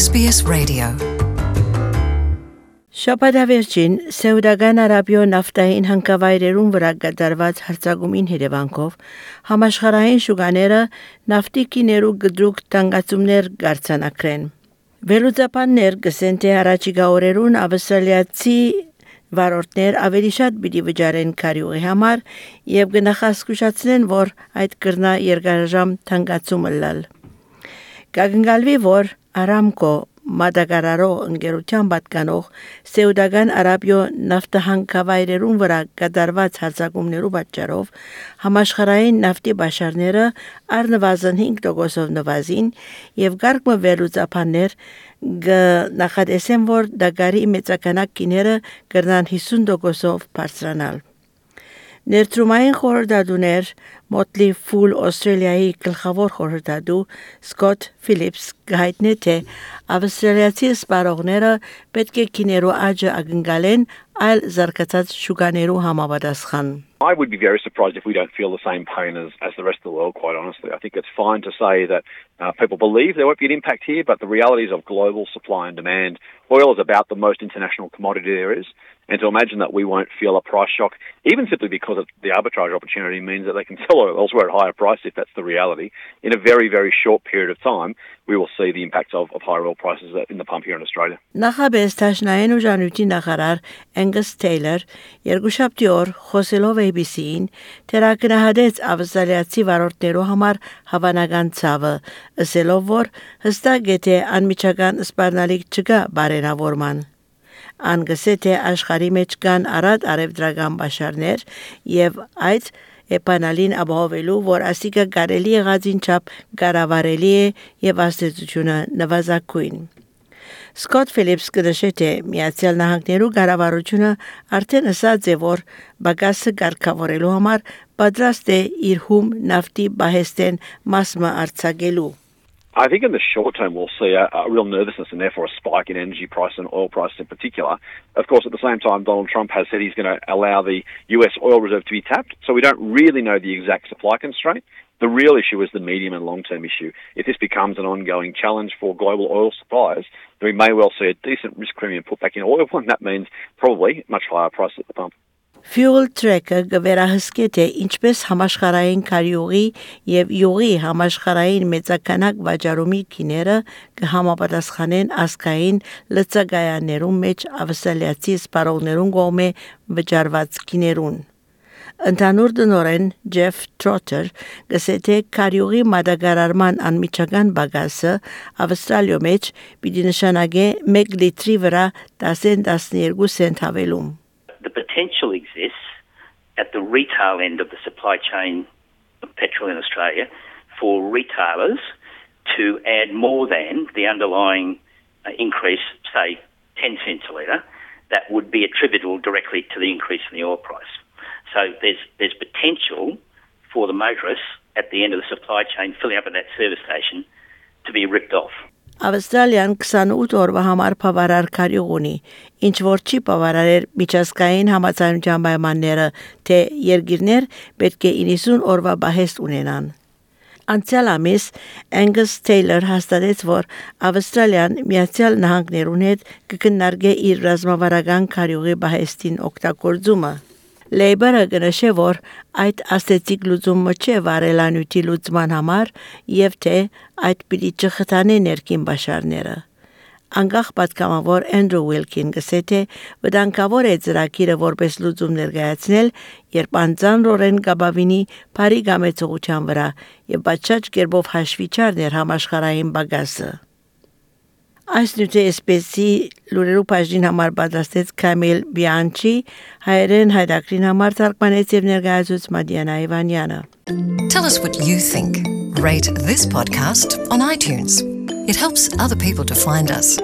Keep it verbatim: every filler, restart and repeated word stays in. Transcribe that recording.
S B S Radio. Շաբաթավերջին Սաուդական Արաբիա նավթային հանքավայրերուն վրա կատարված հարձակումին հետևանքով համաշխարհային շուկաները նավթի գիներու գդրուկ տանգացումներ գարցանակրեն։ Վերլուծաբաններ գսեն թե առաջիկա օրերուն ավստրալիացի վարորդներ ավելի շատ պիտի վճարեն քարյուղի համար եւ կնախազգուշացնեն, որ այդ կրնա երկարաժամ տանգացումը լալ։ Կագնգալվի, որ Aramco մատակարարող ընկերության պատկանող Սաուդական Արաբիա նավթահանքավայրերուն վրա կատարված հարձակումներու պատճառով համաշխարհային նավթի բաշարները առնվազն հինգ տոկոսով նվազին եւ գարկմը վերլուծաբաններ նախադեսեն, որ դագարի մեծականակ գիները կրնան հիսուն տոկոսով բարձրանալ։ Ներդրումային խորհրդատուներ Motley Fool Australia-ի գլխավոր խորհրդատու Scott Phillips գայտնե թե ավստրալիացի սպառողները պետք է գիներու աճը ակնկալեն այլ զարգացած շուկաներու համապատասխան։ I would be very surprised if we don't feel the same pain as, as the rest of the world, quite honestly. I think it's fine to say that uh, people believe there won't be an impact here, but the realities of global supply and demand, oil is about the most international commodity there is, and to imagine that we won't feel a price shock, even simply because of the arbitrage opportunity means that they can sell oil elsewhere at a higher price, if that's the reality. In a very, very short period of time, we will see the impacts of, of higher oil prices in the pump here in Australia. Նախաբես Տաշնային ուժանույթի նախարար Angus Taylor երկուշաբթի օր խոսելով A B C-ին թերակնահատեց ավստրալիացի վարորդներու համար հավանական ցավը, ասելով, որ հստակ է թե անմիջական սպառնալիք չկա բարենավորման։ Անգսե թե աշխարհի մեջ կան առատ արևդրական բաշարներ եւ այդ էպանալին ապահովելու, որ ասիկա կարելի եղածին չափ կառավարելի է եւ աստեցությունը նվազագույն։ Scott Phillips կնշե թե Միացյալ Նահանգներու կառավարությունը արդեն ասաց է, որ բագասը կարգավորելու համար պատրաստ է իր հում նավթի բահեստեն մասը արձակելու։ I think in the short term we'll see a, a real nervousness and therefore a spike in energy price and oil prices in particular. Of course, at the same time, Donald Trump has said he's going to allow the U S oil reserve to be tapped, so we don't really know the exact supply constraint. The real issue is the medium and long-term issue. If this becomes an ongoing challenge for global oil suppliers, then we may well see a decent risk premium put back in oil, and that means probably much higher price at the pump. Fuel Tracker գվերահսկե թե ինչպես համաշխարհային քարյուղի եւ յուղի համաշխարհային մեծականակ վաճառումի գիները կհամապատասխանեն ասկային լցագայաներում մեջ ավստրալիացի սպառողներուն կողմէ վճարված գիներուն։ Ընդհանուր դնորեն Jeff Trotter գսե թե քարյուղի մատակարարման անմիջական բագասը ավստրալիո մեջ պիտի նշանակե մեկ լիտրի վրա ten twelve cent հավելում։ The potential exists at the retail end of the supply chain of petrol in Australia for retailers to add more than the underlying uh, increase, say ten cents a litre, that would be attributable directly to the increase in the oil price. So there's there's potential for the motorists at the end of the supply chain filling up at that service station to be ripped off. Ավստրալիան twenty-eight օրվա համար բավարար քարյուղ ունի, ինչ որ չի բավարարեր միջազգային համաձայնության պայմանները, թե երկիրներ պետք է ninety օրվա բահեստ ունենան։ Անցյալ ամիս Angus Taylor հաստատեց, որ Ավստրալիան Միացյալ Նահանգներուն հետ կքննարկի իր ռազմավարական քարյուղի բահեստին օգտագործումը։ Labour-ը գնշե, որ այդ աստեցիկ լուծումը չէ վարելանյութի լուծման համար եւ թե այդ պիտի չխթանե ներքին բաշարները։ Անկախ պատգամավոր Andrew Wilkin գսե թե վտանգավոր է ծրագիրը որպես լուծում ներկայացնել, երբ անձանրորեն կապավինի բարի գամեցողության վրա եւ բաճաճ կերպով հաշվի չառներ համաշխարհային բագասը։ Այս նյութի էսպեսի լուրերու բաժին համար պատրաստեց Camille Bianchi, հայերեն հայրակրին համար թարգմանեց եւ ներկայացուց Մադիանա Իվանյանը։ Tell us what you think. Rate this podcast on iTunes. It helps other people to find us.